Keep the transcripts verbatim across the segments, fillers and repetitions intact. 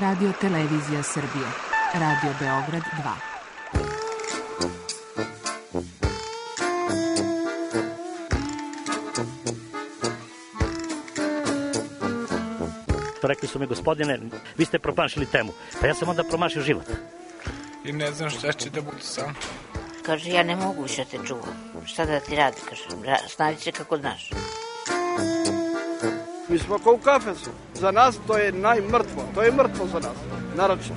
Radio Televizija Srbije. Radio Beograd dva. Rekli su mi, gospodine, vi ste promašili temu. Pa ja sam onda promašio život. I ne znam šta će da bude sam. Kaže, ja ne mogu više te čuvam. Šta da ti radi, kaže, snađi se kako znaš. Mi smo kao u kafesu. Za nas to je najmrtvo. To je mrtvo za nas, naročito.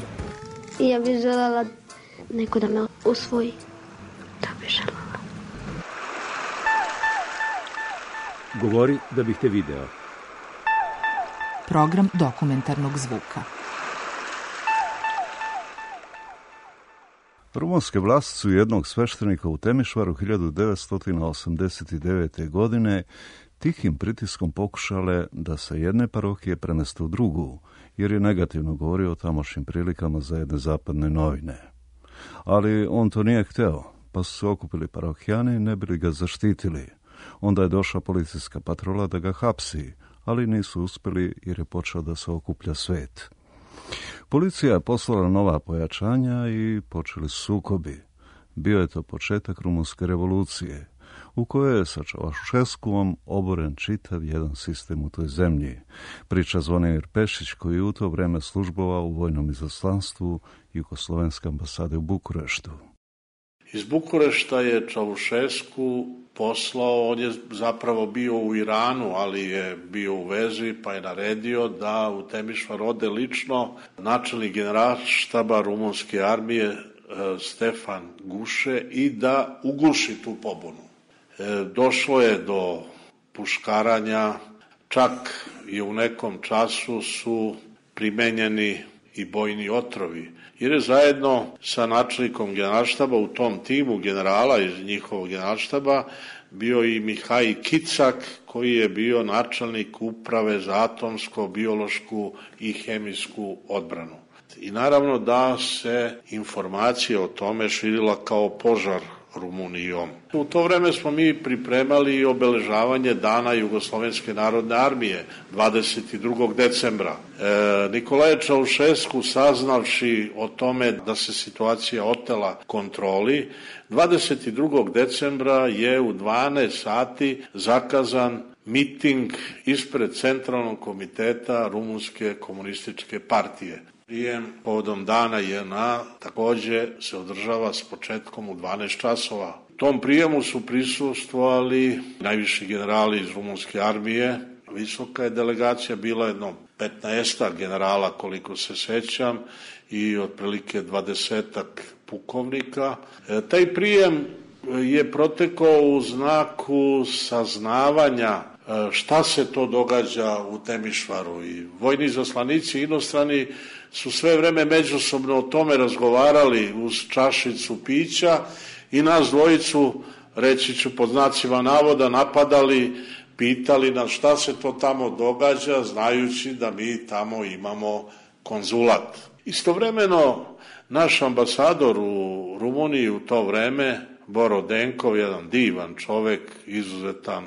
I ja bih želela neko da me usvoji. Da bih želela. Govori da bih te video. Program dokumentarnog zvuka. Rumunske vlasti su jednog sveštenika u Temišvaru hiljadu devetsto osamdeset devete. godine tihim pritiskom pokušale da se jedne parohije premeste u drugu, jer je negativno govorio o tamošnjim prilikama za jedne zapadne novine. Ali on to nije hteo, pa su se okupili parohijani i ne bili ga zaštitili. Onda je došla policijska patrola da ga hapsi, ali nisu uspjeli jer je počeo da se okuplja svet. Policija je poslala nova pojačanja i počeli sukobi. Bio je to početak rumunske revolucije, u kojoj je sa Čaušeskuom oboren čitav jedan sistem u toj zemlji. Priča Zvonimir Pešić, koji je u to vreme službovao u vojnom izaslanstvu Jugoslovenske ambasade u Bukureštu. Iz Bukurešta je Čaušesku poslao, on je zapravo bio u Iranu, ali je bio u vezi, pa je naredio da u Temišvar ode lično načelnik generalštaba rumunske armije Stefan Guše i da uguši tu pobunu. E, došlo je do puškaranja, čak i u nekom času su primenjeni i bojni otrovi, jer je zajedno sa načelnikom generalštaba u tom timu generala iz njihovog generalštaba bio i Mihaj Kicak, koji je bio načelnik uprave za atomsko, biološku i hemijsku odbranu. I naravno da se informacija o tome širila kao požar Rumunijom. U to vreme smo mi pripremali obeležavanje Dana Jugoslovenske narodne armije dvadeset drugog decembra. E, Nikolaje Čaušesku, saznavši o tome da se situacija otela kontroli, dvadeset drugog decembra je u dvanaest sati zakazan miting ispred Centralnog komiteta Rumunske komunističke partije. Prijem povodom dana J N A također se održava s početkom u dvanaest časova. U tom prijemu su prisustvovali najviši generali iz rumunske armije. Visoka je delegacija, bila jedno petnaestak generala koliko se sećam i otprilike dvadesetak pukovnika. E, taj prijem je protekao u znaku saznavanja šta se to događa u Temišvaru i vojni izaslanici inostrani su sve vreme međusobno o tome razgovarali uz čašicu pića i nas dvojicu, reći ću pod znacima navoda, napadali, pitali nas šta se to tamo događa, znajući da mi tamo imamo konzulat. Istovremeno naš ambasador u Rumuniji u to vreme, Boro Denkov, jedan divan čovek, izuzetan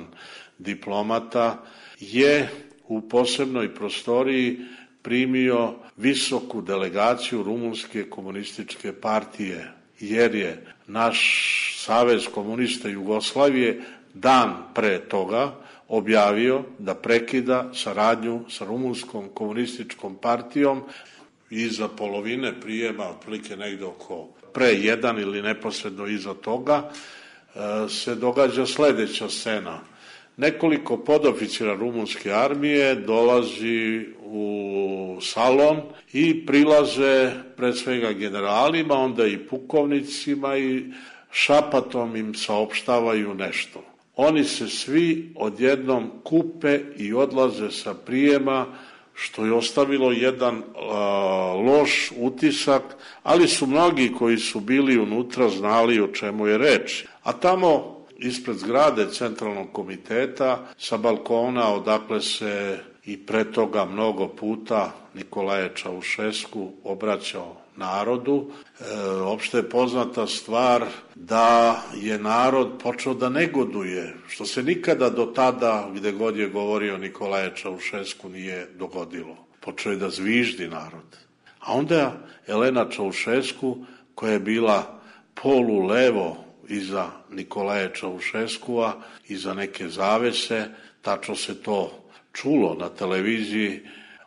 diplomata, je u posebnoj prostoriji primio visoku delegaciju Rumunske komunističke partije, jer je naš Savez komunista Jugoslavije dan pre toga objavio da prekida saradnju sa Rumunskom komunističkom partijom. Iza polovine prijema, otprilike negde oko pre jedan ili neposredno iza toga, se događa sledeća scena. Nekoliko podoficira rumunske armije dolazi u salon i prilaze pred svega generalima, onda i pukovnicima i šapatom im saopštavaju nešto. Oni se svi odjednom kupe i odlaze sa prijema, što je ostavilo jedan a, loš utisak, ali su mnogi koji su bili unutra znali o čemu je reč. A tamo ispred zgrade Centralnog komiteta sa balkona odakle se i pre toga mnogo puta Nikolaje Čaušesku obraćao narodu. E, opšte je poznata stvar da je narod počeo da negoduje, što se nikada do tada, gde god je govorio Nikolaje Čaušesku, nije dogodilo. Počeo je da zviždi narod. A onda Elena Čaušesku, koja je bila polu levo iza Nikolaja Čaušeskua, iza neke zavese, tačno se to čulo na televiziji,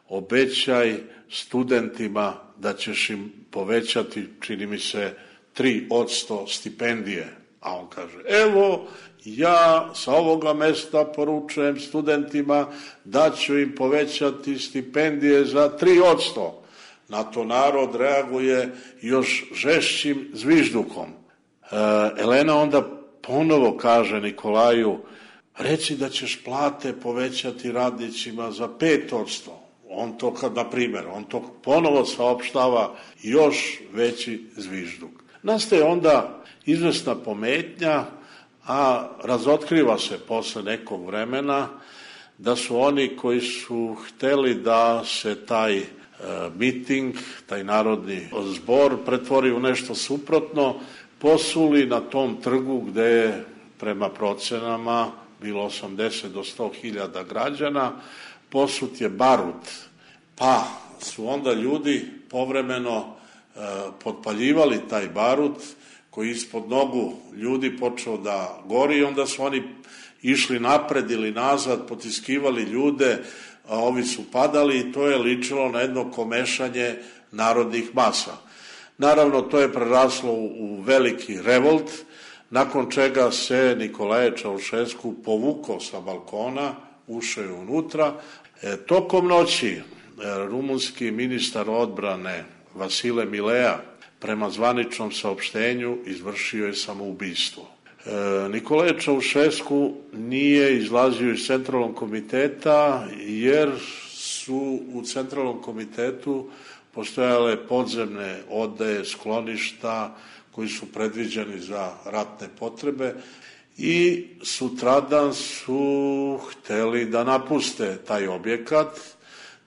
obećaj studentima da ćeš im povećati, čini mi se, tri posto stipendije. A on kaže, evo, ja sa ovoga mesta poručujem studentima da ću im povećati stipendije za tri posto. Na to narod reaguje još žešćim zviždukom. E, Elena onda ponovo kaže Nikolaju, reci da ćeš plate povećati radnicima za pet posto. On to, kad, na primjer, on to ponovo saopštava, još veći zvižduk. Nastaje onda izvesna pometnja, a razotkriva se posle nekog vremena da su oni koji su hteli da se taj e, miting, taj narodni zbor pretvori u nešto suprotno, posuli na tom trgu gde je prema procenama bilo osamdeset do sto hiljada građana, posut je barut, pa su onda ljudi povremeno e, potpaljivali taj barut koji ispod nogu ljudi počeo da gori i onda su oni išli napred ili nazad, potiskivali ljude, a ovi su padali i to je ličilo na jedno komešanje narodnih masa. Naravno, to je preraslo u veliki revolt, nakon čega se Nikolaje Čaušesku povukao sa balkona, ušao je unutra. E, tokom noći e, rumunski ministar odbrane Vasile Milea prema zvaničnom saopštenju izvršio je samoubistvo. E, Nikolaje Čaušesku nije izlazio iz centralnog komiteta jer su u centralnom komitetu postojale podzemne odaje, skloništa koji su predviđeni za ratne potrebe i sutradan su hteli da napuste taj objekat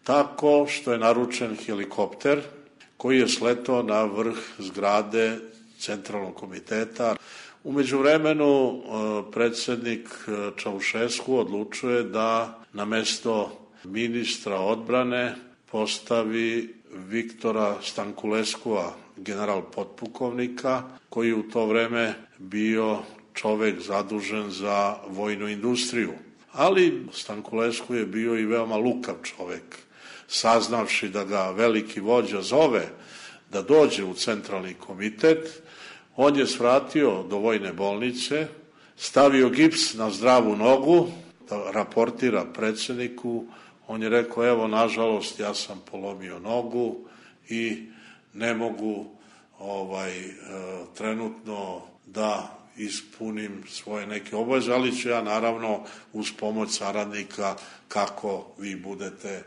tako što je naručen helikopter koji je sletao na vrh zgrade centralnog komiteta. U međuvremenu predsednik Čaušesku odlučuje da na mesto ministra odbrane postavi Viktora Stankuleskua, general potpukovnika, koji u to vreme bio čovek zadužen za vojnu industriju. Ali Stankulesku je bio i veoma lukav čovek. Saznavši da ga veliki vođa zove da dođe u centralni komitet, on je svratio do vojne bolnice, stavio gips na zdravu nogu, da raportira predsedniku. On je rekao, evo, nažalost, ja sam polomio nogu i ne mogu ovaj, e, trenutno da ispunim svoje neke obaveze, ali ću ja naravno uz pomoć saradnika kako vi budete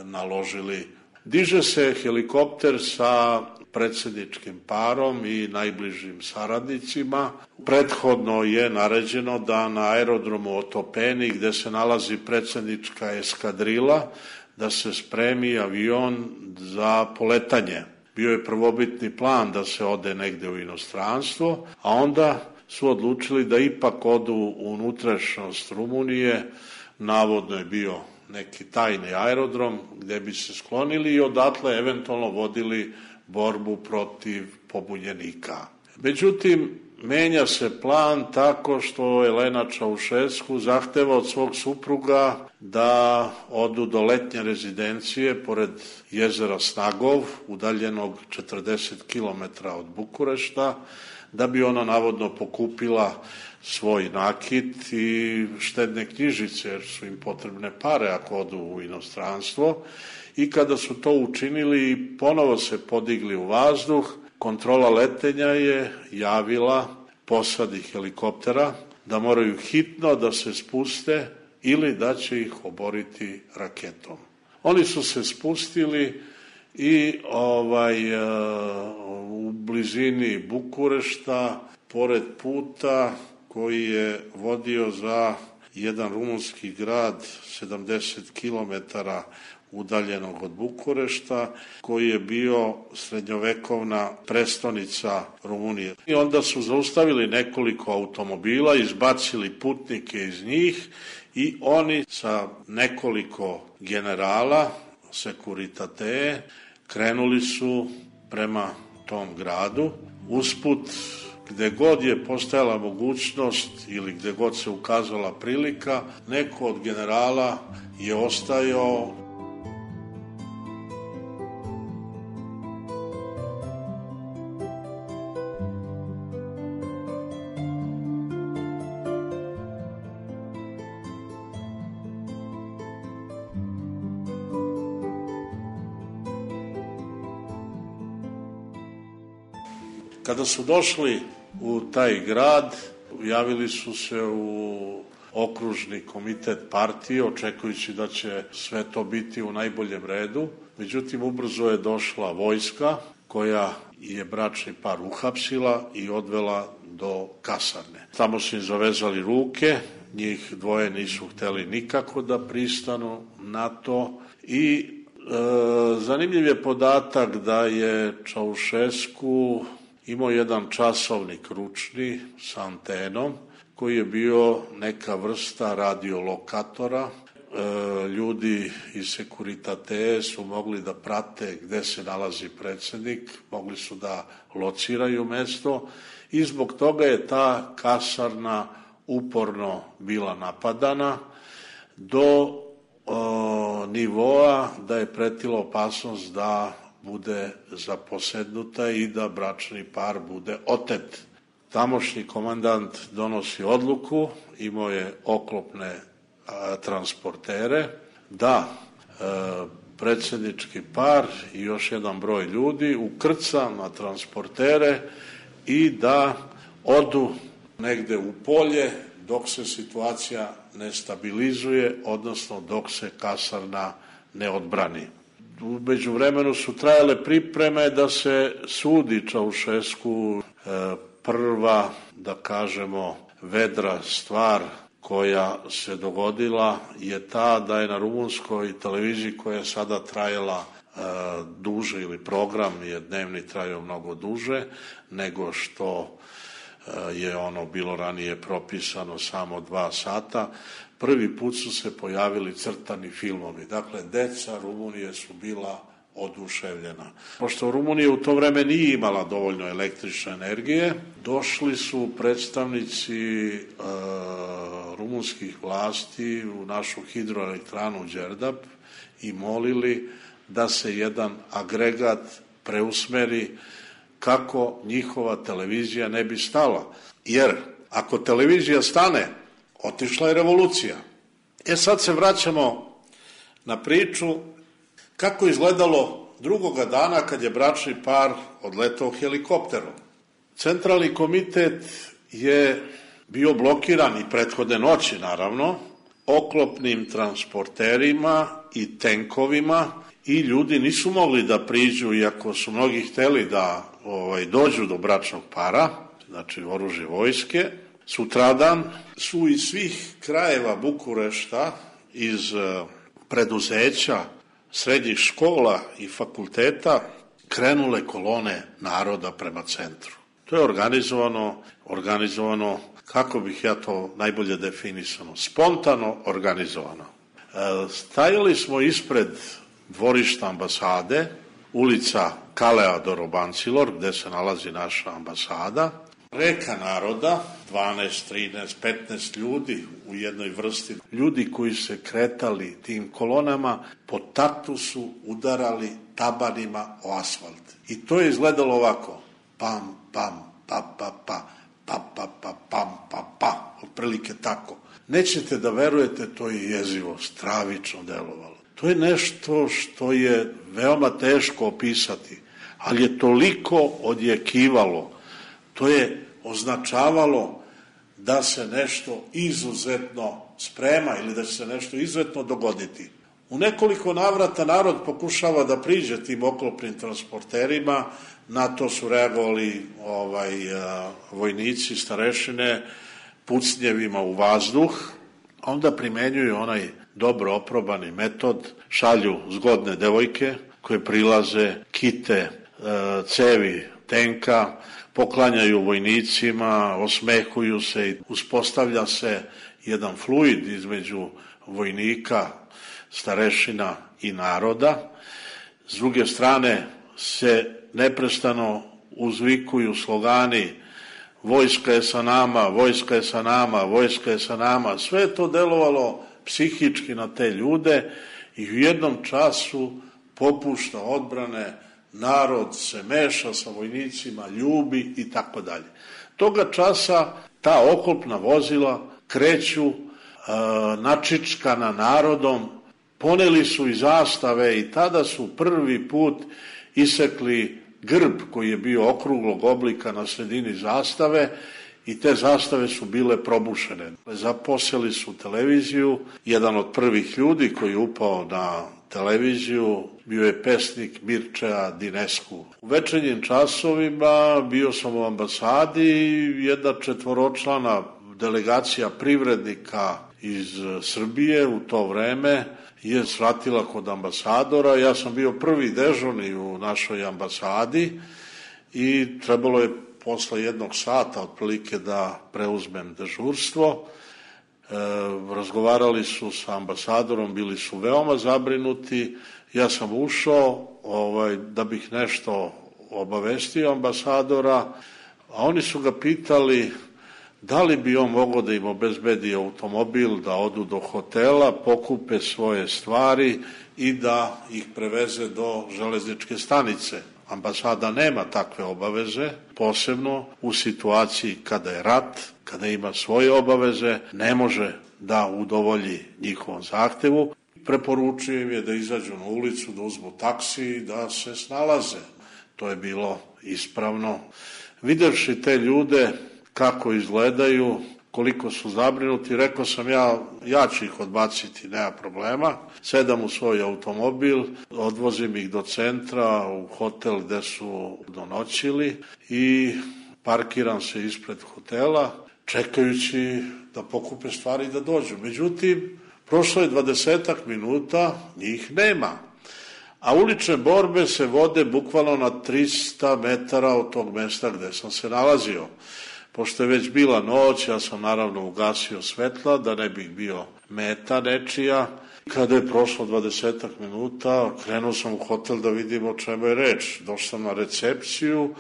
naložili. Diže se helikopter sa predsjedničkim parom i najbližim saradnicima. Prethodno je naređeno da na aerodromu Otopeni, gde se nalazi predsjednička eskadrila, da se spremi avion za poletanje. Bio je prvobitni plan da se ode negde u inostranstvo, a onda su odlučili da ipak odu u unutrašnjost Rumunije. Navodno je bio neki tajni aerodrom gde bi se sklonili i odatle eventualno vodili borbu protiv pobunjenika. Međutim, menja se plan tako što Elena Čaušesku zahteva od svog supruga da odu do letnje rezidencije pored jezera Snagov, udaljenog četrdeset kilometara od Bukurešta, da bi ona navodno pokupila svoj nakit i štedne knjižice, jer su im potrebne pare ako odu u inostranstvo. I kada su to učinili, ponovo se podigli u vazduh, kontrola letenja je javila posadi helikoptera da moraju hitno da se spuste ili da će ih oboriti raketom. Oni su se spustili i ovaj, u blizini Bukurešta, pored puta koji je vodio za jedan rumunski grad sedamdeset kilometara udaljenog od Bukurešta, koji je bio srednjovekovna prestonica Rumunije. I onda su zaustavili nekoliko automobila, izbacili putnike iz njih i oni sa nekoliko generala, sekuritate, krenuli su prema tom gradu. Usput, gde god je postojala mogućnost ili gde god se ukazala prilika, neko od generala je ostajao. Kada su došli u taj grad, javili su se u okružni komitet partije, očekujući da će sve to biti u najboljem redu. Međutim, ubrzo je došla vojska koja je bračni par uhapsila i odvela do kasarne. Tamo su im zavezali ruke, njih dvoje nisu hteli nikako da pristanu na to i e, zanimljiv je podatak da je Čaušesku imao jedan časovnik ručni sa antenom koji je bio neka vrsta radiolokatora. E, ljudi iz Sekuritate su mogli da prate gde se nalazi predsednik, mogli su da lociraju mesto i zbog toga je ta kasarna uporno bila napadana do e, nivoa da je pretila opasnost da bude zaposednuta i da bračni par bude otet. Tamošnji komandant donosi odluku, imao je oklopne a, transportere, da e, predsjednički par i još jedan broj ljudi ukrca na transportere i da odu negde u polje dok se situacija ne stabilizuje, odnosno dok se kasarna ne odbrani. U međuvremenu su trajale pripreme da se sudi Čaušesku. Prva, da kažemo, vedra stvar koja se dogodila je ta da je na rumunskoj televiziji, koja je sada trajala duže, ili program je dnevni trajao mnogo duže nego što je ono bilo ranije propisano, samo dva sata, prvi put su se pojavili crtani filmovi. Dakle, deca Rumunije su bila oduševljena. Pošto Rumunija u to vreme nije imala dovoljno električne energije, došli su predstavnici e, rumunskih vlasti u našu hidroelektranu Đerdap i molili da se jedan agregat preusmeri kako njihova televizija ne bi stala. Jer ako televizija stane, otišla je revolucija. E sad se vraćamo na priču kako je izgledalo drugoga dana kad je bračni par odletao helikopterom. Centralni komitet je bio blokiran i prethodne noći, naravno, oklopnim transporterima i tenkovima i ljudi nisu mogli da priđu, iako su mnogi hteli da ovaj, dođu do bračnog para, znači oružje vojske. Sutradan su iz svih krajeva Bukurešta, iz preduzeća, srednjih škola i fakulteta krenule kolone naroda prema centru. To je organizovano, organizovano, kako bih ja to najbolje definisano, spontano organizovano. E, stajali smo ispred dvorišta ambasade, ulica Kalea Dorobancilor, gde se nalazi naša ambasada. Reka naroda, dvanaest, trinaest, petnaest ljudi u jednoj vrsti. Ljudi koji se kretali tim kolonama po taktu su udarali tabanima o asfalt. I to je izgledalo ovako. Pam, pam, pa, pa, pa, pa, pa, pa, pam, pa, pa. Otprilike tako. Nećete da verujete, to je jezivo, stravično delovalo. To je nešto što je veoma teško opisati, ali je toliko odjekivalo. To je označavalo da se nešto izuzetno sprema ili da će se nešto izuzetno dogoditi. U nekoliko navrata narod pokušava da priđe tim oklopnim transporterima, na to su reagovali ovaj, a, vojnici, starešine, pucnjevima u vazduh, onda primenjuju onaj dobro oprobani metod, šalju zgodne devojke koje prilaze, kite a, cevi tenka, poklanjaju vojnicima, osmehuju se i uspostavlja se jedan fluid između vojnika, starešina i naroda. S druge strane se neprestano uzvikuju slogani vojska je sa nama, vojska je sa nama, vojska je sa nama. Sve je to delovalo psihički na te ljude i u jednom času popušta odbrane, narod se meša sa vojnicima, ljubi i tako dalje. Toga časa ta oklopna vozila kreću e, načičkana narodom, poneli su i zastave i tada su prvi put isekli grb koji je bio okruglog oblika na sredini zastave i te zastave su bile probušene. Zaposeli su televiziju, jedan od prvih ljudi koji je upao na televiziju bio je pesnik Mircea Dinescu. U večernjim časovima bio sam u ambasadi i jedna četvoročlana delegacija privrednika iz Srbije u to vreme je svratila kod ambasadora. Ja sam bio prvi dežurni u našoj ambasadi i trebalo je posle jednog sata otprilike da preuzmem dežurstvo. E, razgovarali su sa ambasadorom, bili su veoma zabrinuti. Ja sam ušao ovaj, da bih nešto obavestio ambasadora, a oni su ga pitali da li bi on mogao da im obezbedi automobil, da odu do hotela, pokupe svoje stvari i da ih preveze do železničke stanice. Ambasada nema takve obaveze, posebno u situaciji kada je rat, kada ima svoje obaveze, ne može da udovolji njihovom zahtevu. Preporučujem im je da izađu na ulicu, da uzmu taksi i da se snalaze. To je bilo ispravno. Videvši te ljude kako izgledaju, koliko su zabrinuti, rekao sam ja, ja ću ih odbaciti, nema problema. Sedam u svoj automobil, odvozim ih do centra, u hotel gde su donoćili i parkiram se ispred hotela, čekajući da pokupe stvari i da dođu. Međutim, prošlo je dvadesetak minuta, njih nema. A ulične borbe se vode bukvalno na trista metara od tog mesta gde sam se nalazio. Pošto je već bila noć, ja sam naravno ugasio svetla, da ne bih bio meta nečija. Kada je prošlo dvadesetak minuta, krenuo sam u hotel da vidim o čemu je reč. Došao sam na recepciju,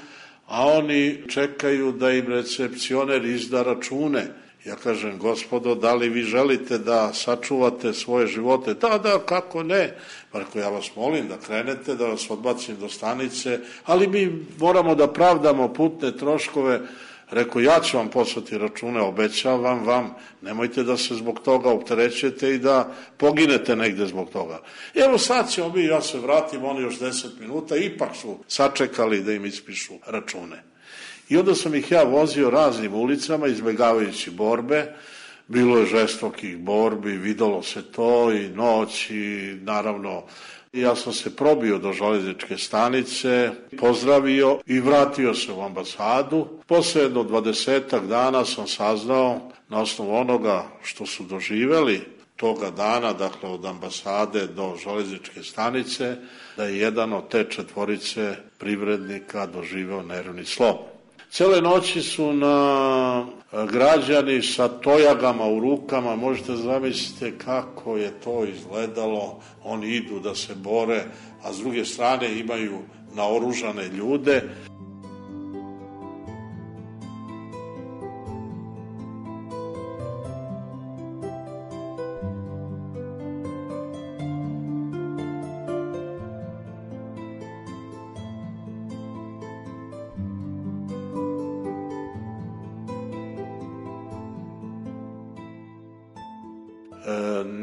a oni čekaju da im recepcioner izda račune. Ja kažem, gospodo, da li vi želite da sačuvate svoje živote? Da, da, kako ne? Pa rekao, ja vas molim da krenete, da vas odbacim do stanice, ali mi moramo da pravdamo putne troškove. Rekao, ja ću vam poslati račune, obećavam vam, nemojte da se zbog toga opterećete i da poginete negde zbog toga. Evo sad ćemo mi, ja se vratim, oni još deset minuta, ipak su sačekali da im ispišu račune. I onda sam ih ja vozio raznim ulicama, izbegavajući borbe. Bilo je žestokih borbi, videlo se to i noć i naravno ja sam se probio do železničke stanice, pozdravio i vratio se u ambasadu. Posle jedno dvadesetak dana sam saznao na osnovu onoga što su doživeli toga dana, dakle od ambasade do železničke stanice, da je jedan od te četvorice privrednika doživeo nervni slom. Cele noći su na građani sa tojagama u rukama, možete zamisliti kako je to izgledalo, oni idu da se bore, a s druge strane imaju naoružane ljude.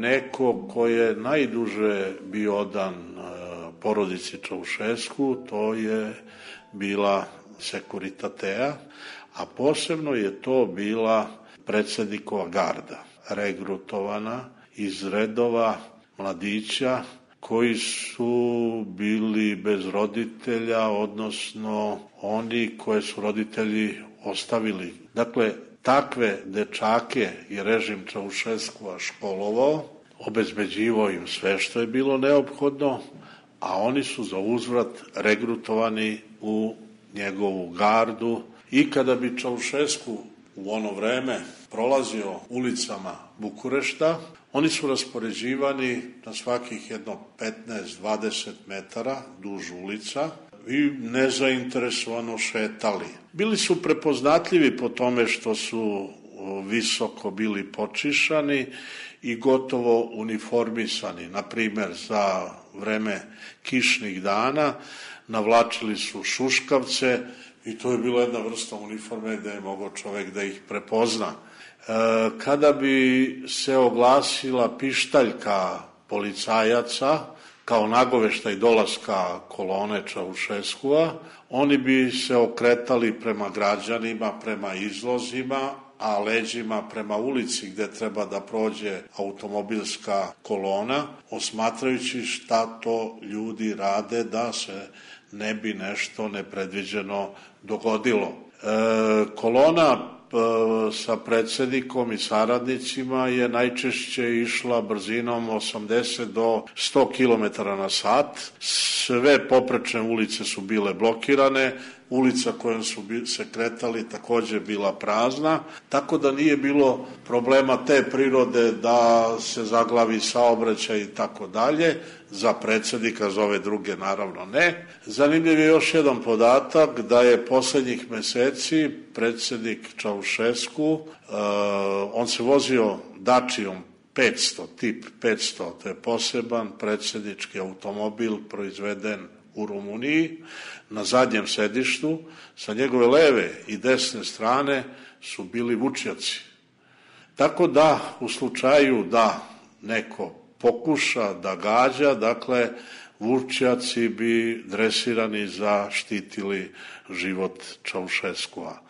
Neko ko je najduže bio odan porodici Čaušesku, to je bila Sekuritatea, a posebno je to bila predsednikova garda, regrutovana iz redova mladića koji su bili bez roditelja, odnosno oni koje su roditelji ostavili. Dakle, takve dečake je režim Čaušeskua školovao, obezbeđivao im sve što je bilo neophodno, a oni su za uzvrat regrutovani u njegovu gardu. I kada bi Čaušesku u ono vreme prolazio ulicama Bukurešta, Oni su raspoređivani na svakih jedno petnaest do dvadeset metara duž ulica i nezainteresovano šetali. Bili su prepoznatljivi po tome što su visoko bili počišani i gotovo uniformisani. Na primer, za vreme kišnih dana navlačili su šuškavce i to je bila jedna vrsta uniforme gde je mogao čovek da ih prepozna. Kada bi se oglasila pištaljka policajaca kao nagoveštaj dolaska kolone Čaušeskua, oni bi se okretali prema građanima, prema izlozima, a leđima prema ulici gde treba da prođe automobilska kolona, osmatrajući šta to ljudi rade da se ne bi nešto nepredviđeno dogodilo. E, kolona sa predsednikom i saradnicima je najčešće išla brzinom osamdeset do sto kilometara na sat. Sve poprečne ulice su bile blokirane, ulica kojom su se kretali takođe bila prazna, tako da nije bilo problema te prirode da se zaglavi saobraćaj i tako dalje. Za predsednika, za ove druge naravno ne. Zanimljiv je još jedan podatak da je poslednjih meseci predsednik Čaušesku, uh, on se vozio Dačijom petsto, tip petsto, to je poseban predsednički automobil proizveden u Rumuniji, na zadnjem sedištu, sa njegove leve i desne strane su bili vučjaci. Tako da, u slučaju da neko pokuša da gađa, dakle, vučjaci bi dresirani zaštitili život Čaušeskua.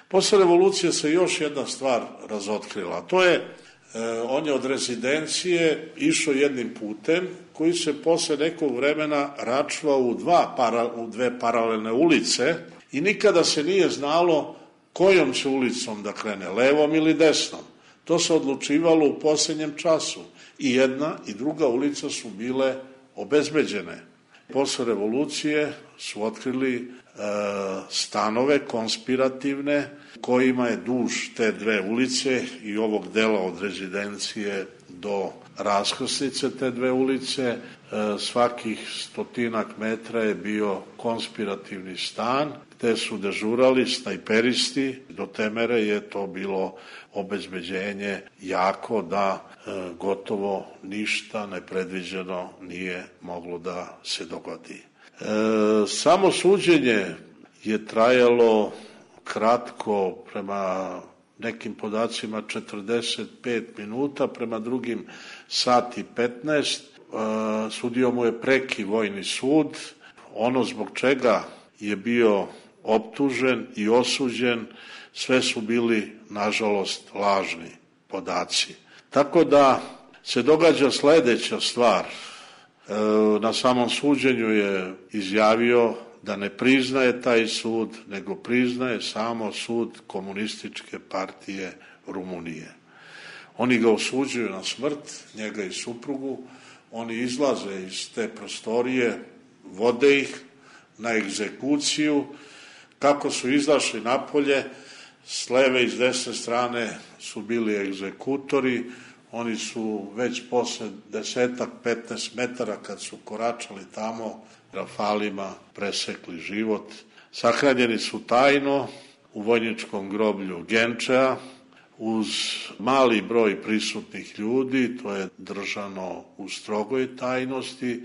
Posle revolucije se još jedna stvar razotkrila, to je, eh, on je od rezidencije išao jednim putem koji se posle nekog vremena račvao u, dva para, u dve paralelne ulice i nikada se nije znalo kojom će ulicom da krene, levom ili desnom. To se odlučivalo u poslednjem času. I jedna i druga ulica su bile obezbeđene. Posle revolucije su otkrili e, stanove konspirativne kojima je duž te dve ulice i ovog dela od rezidencije do raskrsnice te dve ulice, e, svakih stotinak metra je bio konspirativni stan gde su dežurali snajperisti. Do te mere je to bilo obezbeđenje jako da e, gotovo ništa nepredviđeno nije moglo da se dogodi. E, samo suđenje je trajalo kratko, prema nekim podacima četrdeset pet minuta, prema drugim sat i petnaest. E, sudio mu je preki vojni sud. Ono zbog čega je bio optužen i osuđen, sve su bili, nažalost, lažni podaci. Tako da se događa sledeća stvar. E, na samom suđenju je izjavio da ne priznaje taj sud, nego priznaje samo sud Komunističke partije Rumunije. Oni ga osuđuju na smrt, njega i suprugu, oni izlaze iz te prostorije, vode ih na egzekuciju. Kako su izašli napolje, s leve i s desne strane su bili egzekutori, oni su već posle desetak, petnaest metara kad su koračali tamo, rafalima presekli život. Sahranjeni su tajno u vojničkom groblju Genčea, uz mali broj prisutnih ljudi, to je držano u strogoj tajnosti.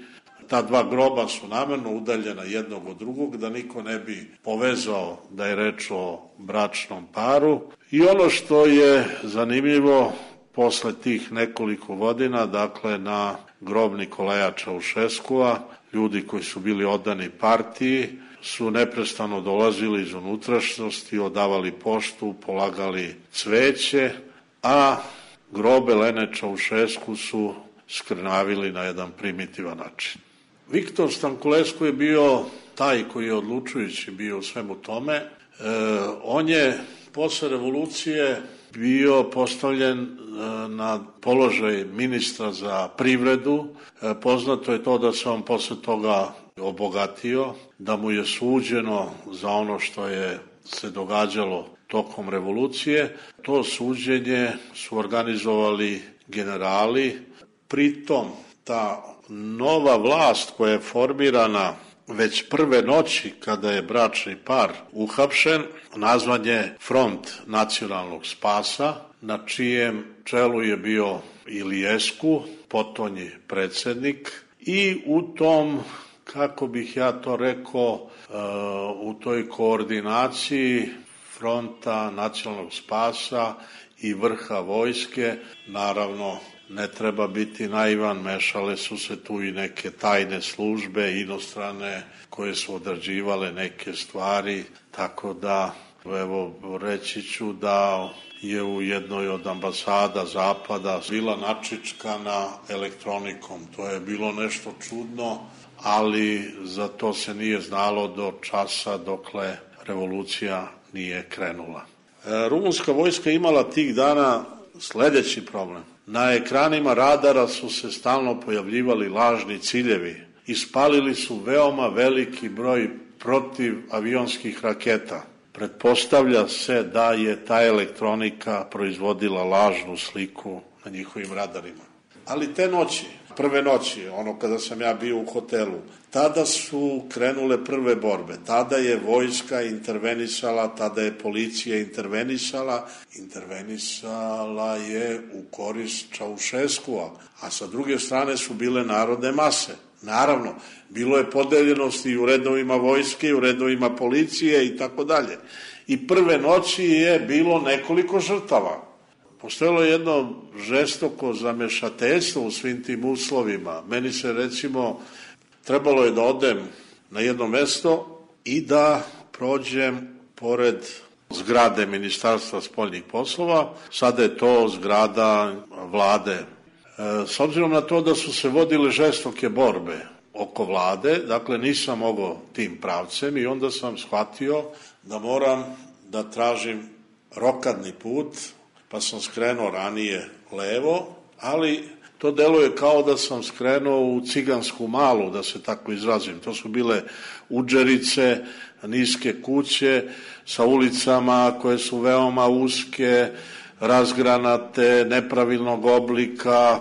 Ta dva groba su namerno udaljena jednog od drugog, da niko ne bi povezao da je reč o bračnom paru. I ono što je zanimljivo, posle tih nekoliko godina, dakle na grob Nikolaja Čaušeskua, ljudi koji su bili odani partiji su neprestano dolazili iz unutrašnjosti, odavali poštu, polagali cveće, a grobe Lene Čaušesku su skrnavili na jedan primitivan način. Viktor Stankulescu je bio taj koji je odlučujući bio u svemu tome. E, on je posle revolucije bio postavljen e, na položaj ministra za privredu. E, poznato je to da se on posle toga obogatio, da mu je suđeno za ono što je se događalo tokom revolucije. To suđenje su organizovali generali. Pritom ta nova vlast koja je formirana već prve noći kada je bračni par uhapšen, nazvan je Front nacionalnog spasa, na čijem čelu je bio Iliescu, potonji predsednik, i u tom, kako bih ja to rekao, u toj koordinaciji Fronta nacionalnog spasa i vrha vojske, naravno ne treba biti naivan, mešale su se tu i neke tajne službe inostrane koje su odrađivale neke stvari, tako da evo reći ću da je u jednoj od ambasada Zapada bila načičkana elektronikom. To je bilo nešto čudno, ali za to se nije znalo do časa dokle revolucija nije krenula. E, rumunska vojska imala tih dana sledeći problem. Na ekranima radara su se stalno pojavljivali lažni ciljevi. Ispalili su veoma veliki broj protivavionskih raketa. Pretpostavlja se da je ta elektronika proizvodila lažnu sliku na njihovim radarima. Ali te noći, prve noći, ono kada sam ja bio u hotelu, tada su krenule prve borbe. Tada je vojska intervenisala, tada je policija intervenisala. Intervenisala je u korist Čaušeskua, a sa druge strane su bile narodne mase. Naravno, bilo je podeljenosti i u redovima vojske, i u redovima policije i tako dalje. I prve noći je bilo nekoliko žrtava. Postojalo je jedno žestoko zamešateljstvo u svim tim uslovima. Meni se recimo trebalo je da odem na jedno mesto i da prođem pored zgrade Ministarstva spoljnih poslova. Sada je to zgrada vlade. S obzirom na to da su se vodile žestoke borbe oko vlade, dakle nisam mogao tim pravcem i onda sam shvatio da moram da tražim rokadni put, pa sam skrenuo ranije levo, ali to deluje kao da sam skrenuo u Cigansku malu, da se tako izrazim. To su bile udžerice, niske kuće sa ulicama koje su veoma uske, razgranate, nepravilnog oblika,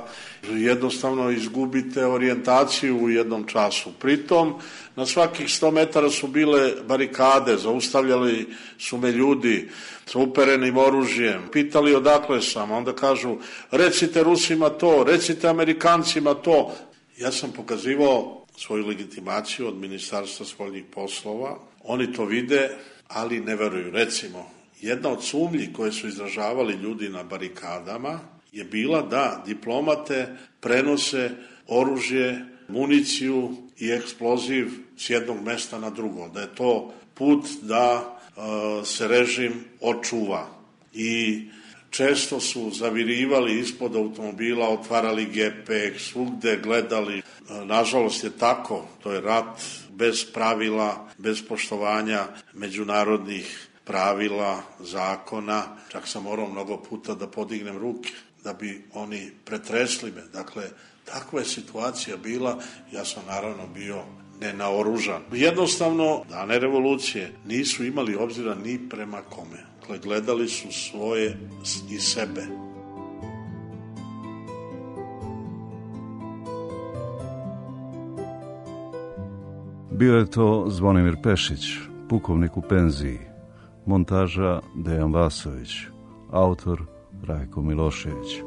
jednostavno izgubite orijentaciju u jednom času. Pritom, na svakih sto metara su bile barikade, zaustavljali su me ljudi sa uperenim oružjem, pitali odakle sam, onda kažu recite Rusima to, recite Amerikancima to. Ja sam pokazivao svoju legitimaciju od Ministarstva spoljnih poslova, oni to vide, ali ne veruju. Recimo, jedna od sumnji koje su izražavali ljudi na barikadama je bila da diplomate prenose oružje, municiju i eksploziv s jednog mesta na drugo, da je to put da e, se režim očuva. I često su zavirivali ispod automobila, otvarali gepek, svugde gledali. E, nažalost je tako, to je rat bez pravila, bez poštovanja međunarodnih pravila, zakona. Čak sam morao mnogo puta da podignem ruke, da bi oni pretresli me. Dakle, takva je situacija bila, ja sam naravno bio nenaoružan. Jednostavno, dane revolucije nisu imali obzira ni prema kome. Dakle, gledali su svoje i sebe. Bio je to Zvonimir Pešić, pukovnik u penziji. Montaža Dejan Vasović, autor Rajko Milošević.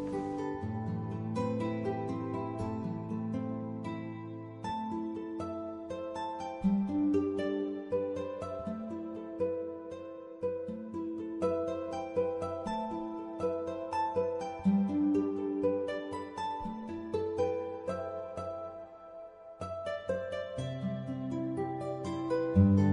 Thank you.